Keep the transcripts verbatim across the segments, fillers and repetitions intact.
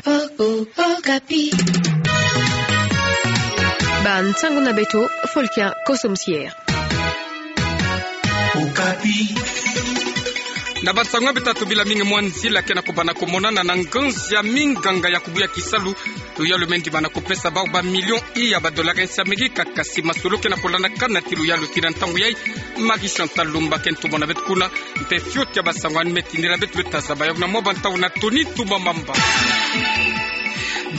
Okapi. Bansango na beto, Folkia Koso Musier. Okapi. Na bansango ya beto, tubila mingi mwa nzila ke na kubana kumonana na nganzi ya minganga ya kubuya kisalu, luyalu me ndimana kupesa bau ba million iya ba dollars ya Amerika, kasi masolo ke na kulandakana ti luyalu tina ntangu yai. Marie Chantal Lumba ke ntumwa na beto kuna, mpe fioti ya bansango yandi me tindila beto, beto tazaba yau na mwa bantangu na Tony Ntumwa Mamba.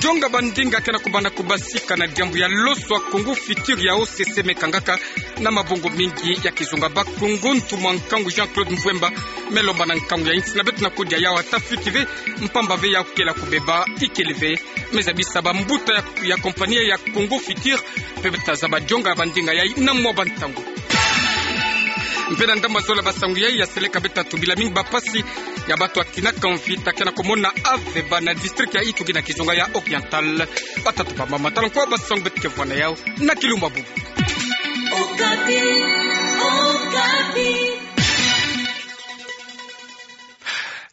Dionga bandinga ke na kubana kubasika na diambu ya loso ya Congo Futur ya O C C me kangaka na mabongo mingi ya kizunga. Bakongo, ntumwa nkangu Jean-Claude Mvuemba me lomba na nkangu ya insi na beto na kodi ya yau ata fioti ve, mpamba ve yau kela kubeba, ikele ve. Me zabisa bambuta ya, ya compagnie ya Congo Futur, mpe beto tazaba dionga bandinga yai na mwa bantangu. Mpe na ndambu ya zola bansango yai, ya seleka beto tubila mingi bapasi ya bato ya tina kamvita ke na kumona aveba na district ya Ituri na kizunga ya Oriental. Batata, bamama, tala nkwa bansango beto ke vwanda yau na kilumbu bubu. Okapi, Okapi.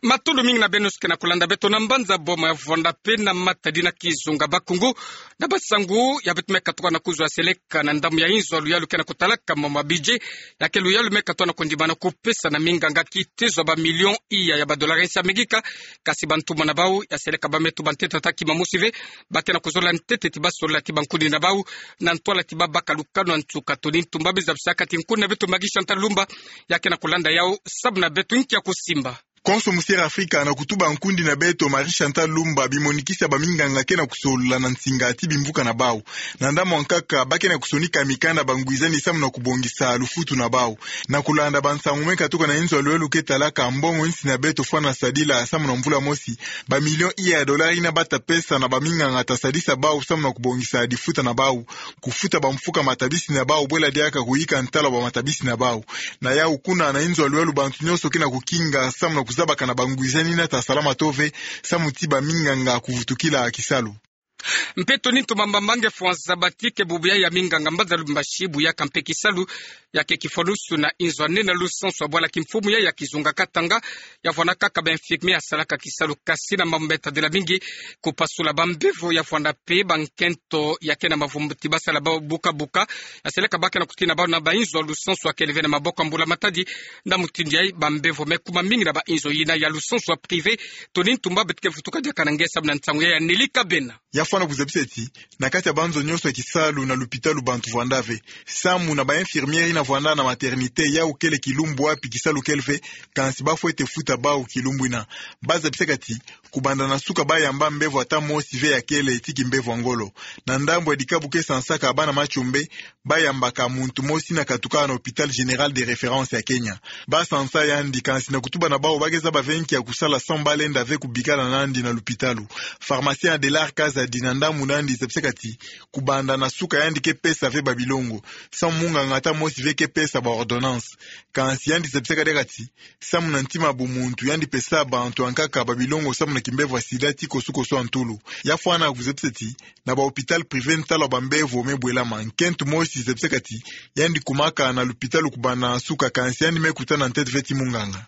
Matondo mingi na beno nyonso ke na kulanda beto na mbanza Boma ya vwanda mpe na matadi na kizunga. Bakongo, na bansango ya beto me katuka na kuzwa, ya seleka na ndambu ya inzo ya luyalu ke na kutalaka mama budget, ya ke luyalu me katuka na kundimana kupesa na minganga kitezo ya ba million iya ya ba dollars ya Amerika, kasi bantumwa na bau, ya seleka bau me tuba ntete ata kima mosi ve, ba ke na kuzola ntete ti ba solola ti bankundi na bau, na ntwala ti ba baka lukanu ya nsuka. Tony Ntumwa Mamba me zabisaka ti nkundi na beto Marie Chantal Lumba, ya ke na kulanda yau samu na beto nki ya kusimba. Konso Musier Afrika, na kutuba nkundi na beto Marie Chantal Lumba, bimonikisi ya baminganga ke na kusolola na nsinga ti bimvuka na bau. Na ndambu ya nkaka, ba ke na kusonika mikanda bangwizani samu na kubongisa lufutu na bau. Na kulanda bansango me katuka na inzo ya luyalu ke talaka mbongo insi na beto fwana sadila samu na mvula mosi, ba million iya ya dollars yina ba ta pesa na baminganga ta sadisa bau samu na kubongisa difuta na bau, kufuta bamfuka matabisi na bau, bwela diaka kuyika ntalo ya bamatabisi na bau. Na yau kuna na inzo ya luyalu bantu nyonso ke na kukinga samu na kuzabakana bangwizani yina ta salama to ve, samu ti baminganga kuvutukila kisalu. Mpe Tony Ntumwa Mamba, nge fwanza bati ke bubu yai ya minganga Mbanza Lubumbashi bu ya ka mpe kisalu, ya ke kifwanusu na inzo ya nene ya lusansu ya bwala kimfumu yai ya kizunga Katanga, ya vwanda kaka ba infirmier ya salaka kisalu, kasi na mambu me tadila mingi kupasula bambevo, ya vwanda mpe bankento ya ke na mavumbu ti ba sala bau buka buka, ya seleka ba ke na kutina bau na ba inzo ya lusansu ya kele ve na maboko ya mbula matadi. Na mutindu yai bambevo me kuma mingi na ba inzo yina ya lusansu ya privé. Tony Ntumwa Mamba, beto ke vutuka diaka na nge samu na nsangu yai ya Nelly Kabena. Ya fwana kuzabisa ti, na kati ya banzo nyonso ya kisalu na lupitalu bantu vwanda ve. Samu na ba infirmier yina vwanda na maternité, yau kele kilumbu wapi kisalu kele ve, kansi ba fwete futa bau kilumbu yina. Ba zabisaka ti, kubanda na suka ba yamba mbevo ata mosi ve ya kele ti kimbevo ya ngolo. Na ndambu ya dikabu ke sansaka bana Matsoumbe, ba yambaka muntu mosi yina katuka na Hôpital Général de Référence ya Kenya. Ba sansa yandi, kansi na kutuba na bau ba ke zaba ve nki ya kusala samu ba lenda ve kubikala na yandi na lupitalu. Pharmacien Adelard Kazadi, na ndambu na yandi, zabisaka ti, kubanda na suka yandi ke pesa ve ba bilongo, samu munganga ata mosi ve ke pesa ba ordonnance. Kansi yandi zabisaka diaka ti, samu na ntima bumuntu, yandi pesa bantu ya nkaka ba bilongo samu na kimbevo ya sida ti kosu kosu ya ntulu. Ya fwana kuzabisa ti, na ba hôpital privé ntalo ya bambevo me bwelama. Nkento mosi zabisaka ti, yandi kumaka na lupitalu kubanda na suka, kansi yandi me kutana ntete ve ti munganga.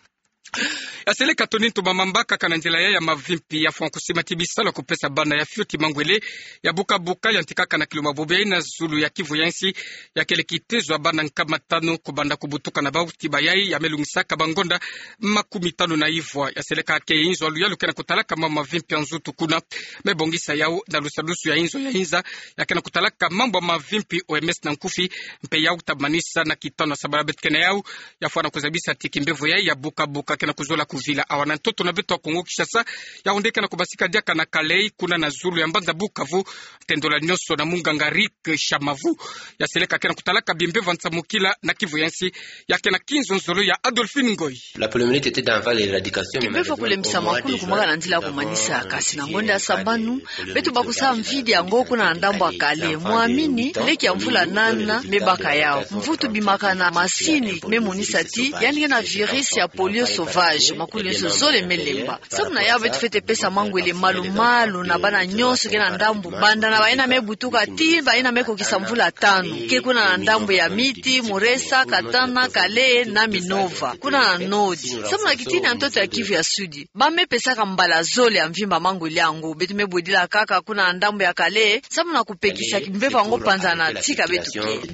Ya seleka Tony Ntumwa Mamba, kaka na nzila yai ya mavimpi, ya fwana kusima ti bisalu ya kupesa bana ya fioti mangwele ya buka buka yantikaka na kilumbu bubu yai na zulu ya Kivu ya nsi, ya kele kitezo ya bana nkama tanu kubanda kubutuka na bau ti bayai ya me lungisaka bangonda makumi tanu na ivwa. Ya seleka ke inzo ya luyalu ke na kutalaka mama mavimpi ya nzutu kuna, me bongisa yau na lusadusu ya inzo ya inza ya ke na kutalaka mambu ya mavimpi, O M S na nkufi, mpe yau ta manisa na kitanu ya sabala beto ke na yau, ya fwana kuzabisa ti kimbevo yai ya buka buka ke na kuzola kuvila awa na ntoto na beto ya Kongo Kinshasa, yau nde ke na kubasika diaka na Kalehe, kuna na zulu ya mbanza Bukavu, tendola nyonso na munganga Rick Shamavu. Ya seleka ke na kutalaka bimbevo ya nsamukila na Kivu ya nsi, ya ke na kinzonzolo ya Adolphine Ngoy. La poliomyélite était dans l'éradication, mais malheureusement, au mois de juin, nous avons, euh, décidé de, euh, commencer à faire, euh, des vaccins. La poliomyélite ke bimbevo ya nsamukulu kumaka na nzila ya kumanisa, kasi na ngonda ya sambanu, beto bakusala mvidi yango kuna na ndambu ya Kalehe. Mwamini, leki ya mvula nana me baka yau. Mvutu bimaka na masini me monisa ti yandi ke na virus ya polio sauvage. Kulu nyonso zole me lemba. Samu na yawu beto fwete pesa mangwele malu-malu na bana nyonso ke na ndambu, banda na bayina me butuka tii bayina me kokisa mvula tanu. Ke kuna na ndambu ya Miti, Muresa, Katana, Kalehe na Minova, kuna na Nord. Samu na kitini ya ntoto ya Kivu ya Sud, ba me pesaka mbala zole ya mvimba mangwele yango. Beto me bodila kaka kuna na ndambu ya Kalehe, samu na kupekisa kimbevo yango panza na tika beto ke.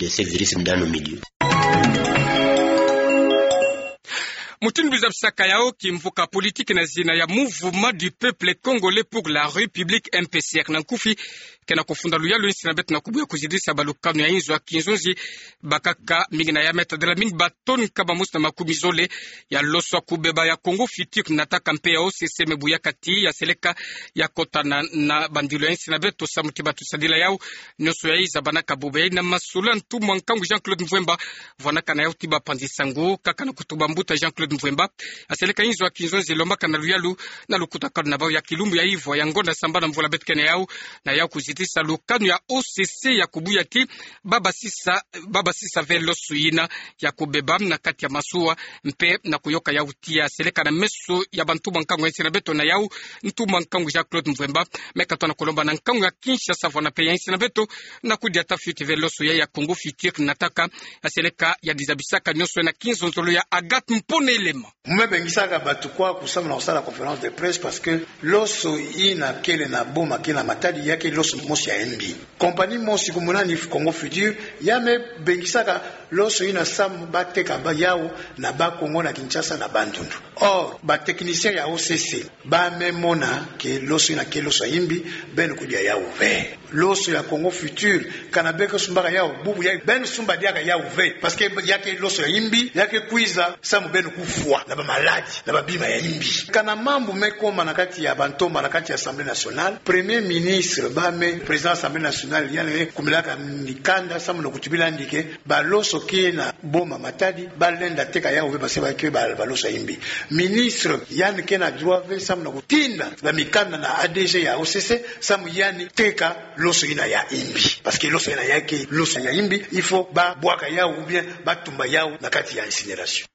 Mutindu bizabisaka yawu, kimvuka politiki na zina ya Mouvement du Peuple Congolais pour la République, M P C R na nkufi, ke na kufunda luyalu ya insi na beto na kubuya kuzidisa balukanu ya inzo ya kinzonzi, bakaka mingi na ya me tadila mingi ba tonnes nkama mosi na makumi zole ya loso ya kubeba ya Congo Futur Nataka mpe ya O C C me buyaka tii ya seleka ya kota na, na bandilu ya insi na beto. Samu ti batusadila yawu, nyonso yayi zabanaka bubu yayi na masula ntumwa nkangu Jean-Claude Mvwemba, vwanaka na yawu ti bapanzi sango, kaka na kutuba mbuta Jean-Claude Mvwemba, ya seleka inzo ya kinzonzi lombaka na luyalu na lukutakanu na bawu ya kilumbu ya ivwa ya ngonda sambana mvula beto ke na yawu, na yawu kuzitisa lukanu ya O C C ya kubuya ti ba basisa, ba basisa ve loso yina ya kubeba na kati ya masuwa, mpe na kuyoka yawu tii ya seleka na meso ya bantumwa nkangu ya insi na beto na yawu, ntumwa nkangu Jean-Claude Mvwemba me katwa na kulomba na nkangu ya Kinshasa vwana mpe ya insi na beto na kudiata fioti ve loso ya, ya Congo Futur Nataka, ya seleka ya dizabisaka nyonso na kinzonzolo ya Agathe Mpona Elema. Mu me bengisaka bato kwa kusamu na kusala conférence de presse parce que loso yina kele na boma ke na Matadi ya ke loso mosi ya mbi. Compagnie mosi kumunani Congo Futur, ya me bengisaka loso yina samu bateka ba yawu na Bas-Congo na Kinshasa na Bandundu. Or, ba techniciens ya O C C ba me mona ke loso yina ke loso ya mbi, beno kudia yawu ve. Loso ya Congo Futur, kana be ke sumbaka yawu, bubu ya beno sumba diaka yawu ve. Parce que ya ke loso ya mbi, ya ke kwiza samu beno kufwa na ba maladi na ba bima ya mbi. Kana mambu me koma na kati ya bantomba na kati ya Assemblée nationale, Premier ministre ba me président Assemblée nationale, yandi kumilaka mikanda samu na kutubila yandi ke ba loso ke na boma Matadi, ba lenda teka yawu ve parce que ba ke ba, ba loso ya mbi. Ministre yandi ke na droit ve samu na kutinda ba mikanda na A D G ya O C C, samu yandi teka loso yina ya mbi. Parce que loso yina ya ke loso ya mbi, il faut ba bwaka yawu ou bien ba tumba yawu na kati ya incinération.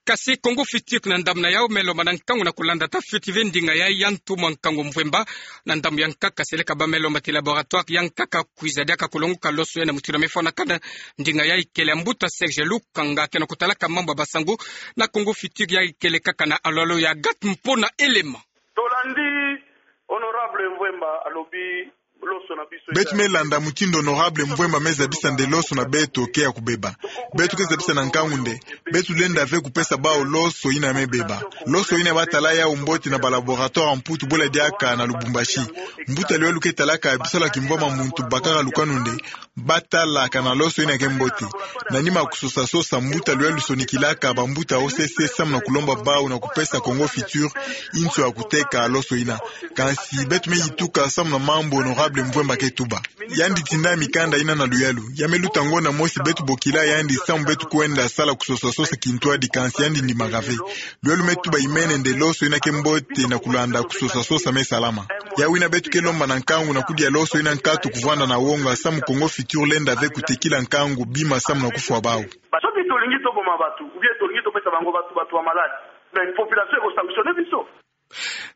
Kasi Congo Futur na ndambu na yawu me lomba na nkangu na kulandata fioti ve ndinga ya, ya ntumwa nkangu Mvwemba. Na ndambu ya nkaka seleka ba me lomba ti laboratoire ya nkaka kwiza diaka kulonguka loso yina mutindu me fwanakana. Ndinga ya ikele ya mbuta Serge Lukanga ke na kutalaka mambu ya basango na Congo Futur ya ikele kaka na alolo ya Agathe Mpona Elema. Tolandi honorable Mvwemba alobi loso na biso. Beto me landa mutindu honorable Mvwemba me zabisa nde loso na beto ke ya kubeba. Beto ke zabisa na nkangu nde beto lenda ve kupesa bawu loso yina me beba. Loso yina ba tala yawu mbote na ba laboratoire ya Mputu bula diaka na Lubumbashi. Mbuta luyalu ke talaka bisalu ya kimvwama muntu bakaka lukanu nde ba tala kana loso yina ke mbote. Na nima kusosa sosa, mbuta luyalu sonikilaka bambuta O C C samu na kulomba bawu na kupesa Congo Futur inso ya kuteka loso yina. Kansi beto me yituka samu na mambu honorable Mvwemba ke tuba. Yandi tinda mikanda yina na luyalu. Ya me luta ngonda mosi beto bokila yandi samu beto kwenda sala kusosa sosa kintwadi, kansi yandi ndimaka ve. Luyalu me tuba imene nde loso yina ke mbote na kulanda kusosa sosa me salama. Yawu yina beto ke lomba na nkangu na kudia loso yina nkatu kuvwanda na wonga samu Congo Futur lenda ve kutekila nkangu bima samu na kufwa bawu. Soki tolingi toboma bato, ou bien tolingi topesa bango bato, bato ya maladi, mais population eko sanctionner biso.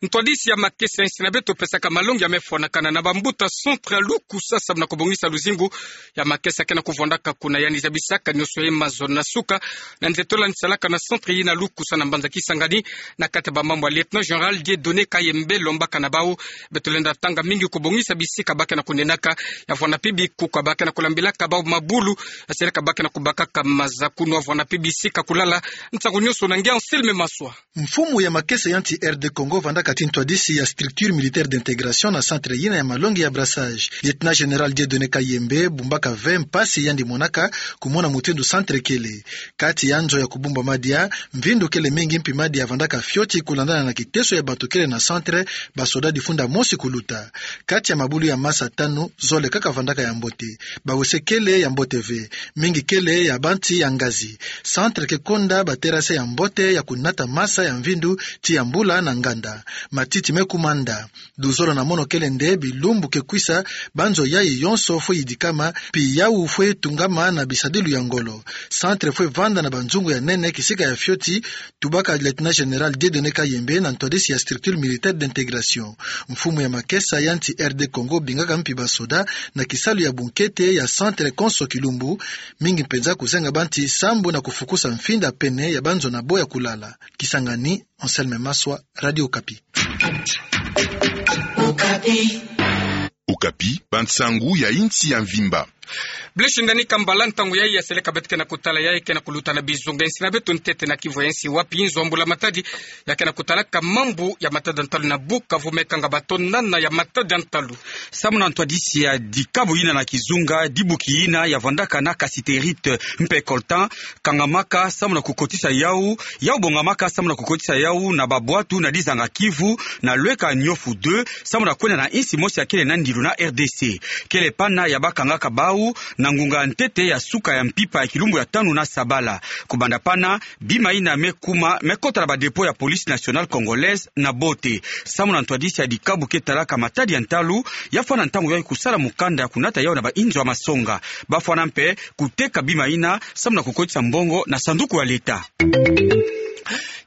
Ntwadisi ya makesa ya insi na beto pesaka malongi ya me fwanakana na bambuta centre ya Lukusa samu na kubongisa luzingu ya makesa ke na kuvwandaka kuna. Yandi zabisaka nyonso ya mazono na suka na nze tola ni salaka na centre yina Lukusa na mbanza Kisangani. Na kati ya bamambu ya lieutenant général Dieudonné Kayembe lombaka na bawu, beto lenda tanga mingi kubongisa bisika ba ke na kunenaka, ya vwanda mpe bikuka ba ke na kulambilaka bawu mabulu, ya seleka ba ke na kubakaka maza kunu, ya vwanda mpe bisika kulala. Nsangu nyonso na nge Anselme Maswa. Mfumu ya makesa ya nsi R D Congo vandaka ti ntwadisi ya structure militaire d'intégration na centre yina ya malongi ya brassage. Lieutenant général Dieudonné Kayembe bumbaka ve mpasi yandi monaka kumona mutindu centre kele. Kati ya nzo ya kubumba madia, mvindu kele mingi mpi madia vandaka fioti kulandana na kiteso ya bato kele na centre, basoda difunda mosi kuluta. Kati ya mabulu ya masa tanu, zole kaka vandaka ya mbote. Bawese kele ya mbote ve. Mingi kele ya bansi ya ngazi. Centre ke konda baterase ya mbote ya kunata masa ya mvindu ti ya mbula na ngazi. nda. Matiti me kuma nda. Luzolo na mono kele nde bilumbu ke kwisa banzo yayi yonso fwe yidikama, pi yawu fwe tungama na bisadilu ya ngolo. Centre fwe vanda na banzungu ya nene kisika ya fioti, tubaka Lieutenant Général Dieudonné Kayembe na ntwadisi ya structure militaire d'intégration. Mfumu ya makesa ya nsi R D Congo bingaka mpi basoda na kisalu ya bunkete ya centre konso kilumbu, mingi mpenza kuzenga bansi sambu na kufukusa mfinda pene ya banzo na bo ya kulala. Kisangani, Anselme Maswa, Radio Okapi. Okapi, bansangu ya insi ya mvimba. Blaise Ndani Kambala, ntangu yayi ya seleka beto ke na kutala yayi ke na kuluta na bizunga ya insi na beto ntete na kivu ya insi, wapi nzo ya mbula matadi ya ke na kutalaka mambu ya matadi ya ntalu na Bukavu me kanga bato nana ya matadi ya ntalu. Samu na ntwadisi ya dikabu yina na kizunga, dibuki yina ya vandaka na cassiterite mpe coltan kangamaka samu na kukotisa yawu, yawu bongamaka samu na kukotisa yawu na babwatu na dizanga Kivu, na lweka Niofu deux, samu na kwenda na insi mosi ya kele na ndilu na R D C. Kele pana ya bakangaka bawu na ngunga ya ntete ya suka ya mpimpa ya kilumbu ya tanu na sabala. Kubanda pana, bima yina me kuma, me kota na ba dépôt ya Police Nationale Congolaise na bote. Samu na ntwadisi ya dikabu ke talaka matadi ya ntalu, ya fwana ntangu yayi kusala mukanda ya kunata yawu na ba inzo ya masonga. Ba fwana mpe kuteka bima yina samu na kukotisa mbongo na sanduku ya leta.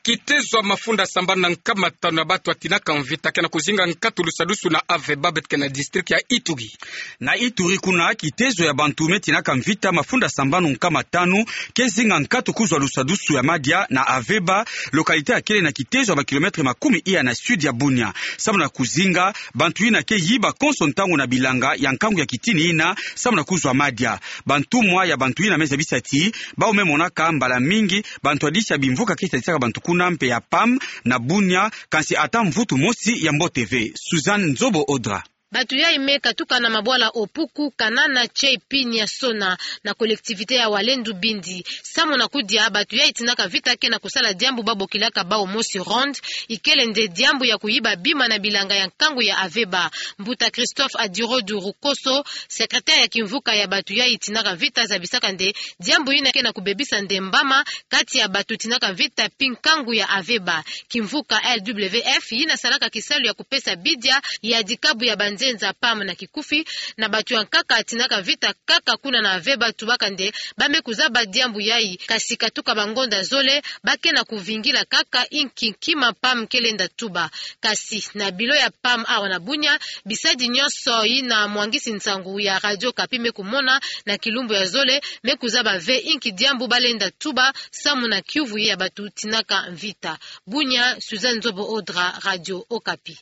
Kitezo ya mafunda sambanu na nkama tanu ya bantu ya tinaka mvita ke na kuzinga nkatu lusadusu na Aveba, beto ke na district ya Ituri. Na Ituri kuna, kitezo ya bantu me tinaka mvita mafunda sambanu nkama tanu ke zinga nkatu kuzwa lusadusu ya madia na Aveba, localité ya kele na kitezo ya ba kilomètre makumi iya na sud ya Bunia. Samu na kuzinga bantu yina ke yiba konso ntangu na bilanga ya nkangu ya kitini yina, samu na kuzwa madia. Bantumwa ya bantu yina me zabisa ti bawu me monaka mbala mingi bantwadisi ya bimvuka ke sadisaka bantu kuna mpe ya PAM na Bunia, kansi ata mvutu mosi ya mbote ve. Suzanne Nzobo Odra. Bantu yayi me katuka na mabwala Opuku, Kanana, Tchei, Pinia, Sona, na collectivité ya Walendu Bindi. Samu na kudia, bantu yayi tinaka mvita ke na kusala diambu ba bokilaka bawu mosi ronde, ikele nde diambu ya kuyiba bima na bilanga ya nkangu ya Aveba. Mbuta Christophe Adirodu Rukoso, secrétaire ya kimvuka ya bantu yayi tinaka mvita, zabisaka nde diambu yina ke na kubebisa nde mbama kati ya bantu tinaka mvita pi nkangu ya Aveba. Kimvuka L W F yina salaka kisalu ya kupesa bidia ya dikabu ya banzenza, PAM na kikufi, na bantu ya nkaka tinaka mvita kaka kuna na Aveba, tubaka nde ba me kuzaba diambu yayi, kasi katuka bangonda zole ba ke na kuvingila kaka inki nkima PAM ke lenda tuba. Kasi na bureau ya PAM awa na Bunia, bisadi nyonso yina mwangisi nsangu ya Radio Okapi me kumona na kilumbu ya zole, me kuzaba ve inki diambu ba lenda tuba samu na kiuvu ya bantu tinaka mvita. Bunia, Suzanne Nzobo Odra, Radio Okapi.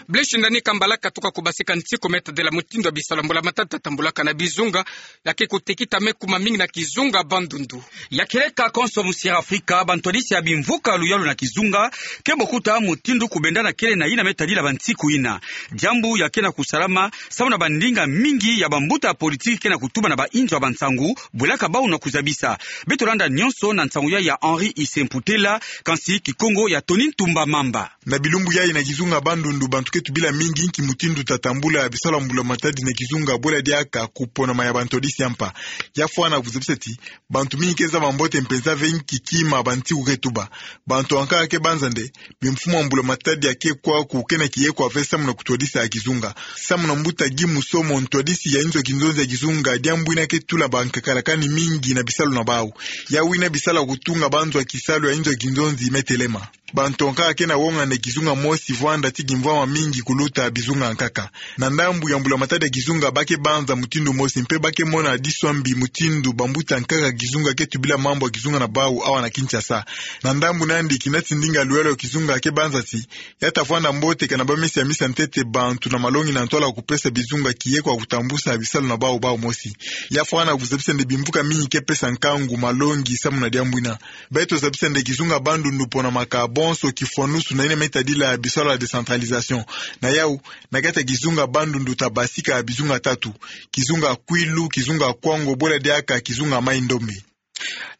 Blaise Ndani Kambala katuka kubasika nsiku me tadila mutindu ya bisalu ya mbula matadi tatambulaka na bizunga ya ke kutekita me kuma mingi na kizunga Bandundu. Ya kieleka konso musi ya Afrika, bantwadisi ya bimvuka luyalu na kizunga ke bokuta mutindu kubenda na kele na yina me tadila bansiku yina. Diambu ya ke na kusalama samu na bandinga mingi ya bambuta ya politiki ke na kutuba na ba inzo ya bansangu, bwelaka bawu na kuzabisa. Beto landa nyonso na nsangu yayi ya Henri Issemputela, kansi Kikongo ya Tony Ntumba Mamba. Na bilumbu yayi na kizunga Bandundu, bantu ke tubila mingi inki mutindu tatambula bisalu ya mbula matadi na kizunga, bwela diaka kuponama ya bantwadisi ya mpa. Ya fwana kuzabisa ti bantu mingi ke zaba mbote mpenza ve inki kima bansiku ke tuba. Bantu ankaka ke banza nde bimfumu ya mbula matadi ya ke kwa ku ke na kiye kwa ve samu na kutwadisa ya kizunga. Samu na mbuta Guy Musomo, ntwadisi ya inzo ya kinzonzi ya kizunga, diambu yina ke tula bankakala kani mingi na bisalu na bawu. Yawu yina bisala kutunga banzo ya kisalu ya inzo ya kinzonzi me telema. Bantu ankaka ke na wonga nde kizunga mosi vwanda ti kimvwama mingi kuluta bizunga ankaka. Na ndambu ya mbula matadi ya kizunga ba ke banza mutindu mosi mpe ba ke mona diso ya mbi mutindu bambuta ankaka ya kizunga ke tubila mambu ya kizunga na bawu awa na Kinshasa. Na ndambu nandi, kina ti ndinga luyalu ya kizunga ke banza ti ya tavwanda mbote kana ba me siamisa ntete bantu na malongi na ntwala kupesa bizunga kiye kwa kutambusa bisalu na bawu bawu mosi. Ya fwana kuzabisa nde bimvuka mingi ke pesa nkangu malongi samu na diambu yina. Beto zabisa nde kizunga Bandundu ponamaka bonso kifwanusu na yina me tadila bisalu ya décentralisation. Na yawu, na kati ya kizunga Bandundu tabasika bizunga tatu: kizunga Kwilu, kizunga Kwango, bwela diaka kizunga Mai-Ndombe.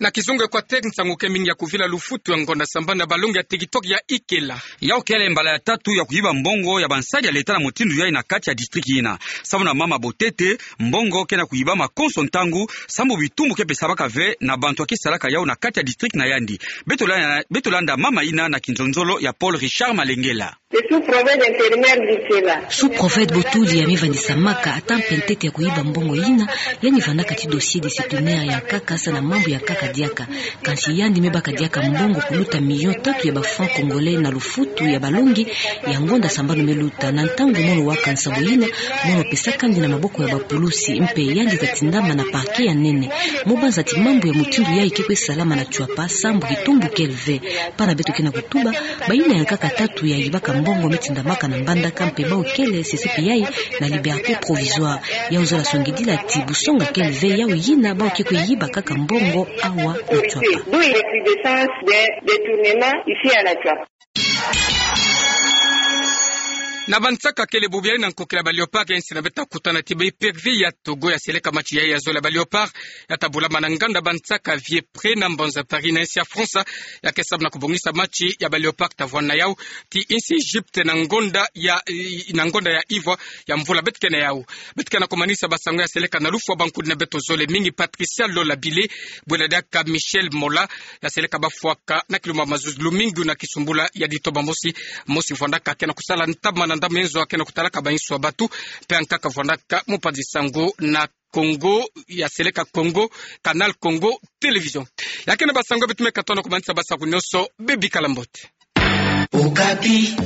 Na kizunga Equateur, nsangu ke mingi ya kuvila lufutu ya ngonda sambanu na balongi ya TikTok ya ikela. Yau kele mbala ya tatu ya kuyiba mbongo ya bansadi ya leta na mutindu yayi na kati ya district yina. Samu na mama Botete, mbongo ke na kuyibama konso ntangu, samu bitumbu ke pesabaka ve na bantu ya ke salaka yau na kati ya district na yandi. Beto la-, beto landa mama yina na kinzonzolo ya Paul Richard Malengela. Le sous-préfet d'intérimaire d'Ikela. Sous-préfet Botuli ya me vandisamaka ata mpe ntete ya kuyiba mbongo yina, yandi vandaka ti dossier disciplinaire ya nkaka sa na mambu ya nkaka diaka. Kansi yandi me baka diaka mbongo kuluta million tatu ya ba francs congolais na lufutu ya balongi ya ngonda sambanu me luta. Na ntangu mono waka nsambu yina, mono pesaka yandi na maboko ya bapulusi, mpe yandi ta tindama na parquet ya nene. Mo banza ti mambu ya mutindu yayi ke kwe salama na Tshuapa, samu kitumbu kele ve. Bana beto ke na kutuba, bayina ya nkaka tatu ya yibaka mbongo me tindamaka na Mbandaka, mpe bau kele sese mpe yayi na liberté provisoire. Yau zola songidila ti busonga kele ve yau yina bau ke kwe yibakaka mbongo awa na Tshuapa. D'où il y a recrudescence des détournements ici à la Tshuapa. Na bansaka kele bubu yayi na nkokila ba Léopards, nsi na beta kutana ti ba éperviers ya Togo ya seleka match yayi ya zole ya ba Léopards, ya ta bulama na nganda bansaka Vieux Pré na mbanza Paris na nsi ya France, ya ke sabu na kubongisa match ya ba Léopards ta vwanda yau ti nsi Égypte na ngonda ya, na ngonda ya ivwa ya mvula beto ke na yau. Beto ke na kumanisa basango ya seleka na lufwa, bankudi na beto zole mingi. Patricia Lola Bile, bwela diaka Michel Mola, ya seleka bafwaka na kilumbu ya mazuzi lumingu na kisumbula ya ditoba mosi, mosi vwandaka ke na kusala ntama na ndambu ya nzo, ke na kutalaka ba nsuwa batu, mpe ankaka vwandaka mupanzi sango na Congo, ya seleka Congo, Canal Congo Télévision. Ya ke na basango beto me katono kumanisa, basango nyonso, bebikala mbote. Okapi.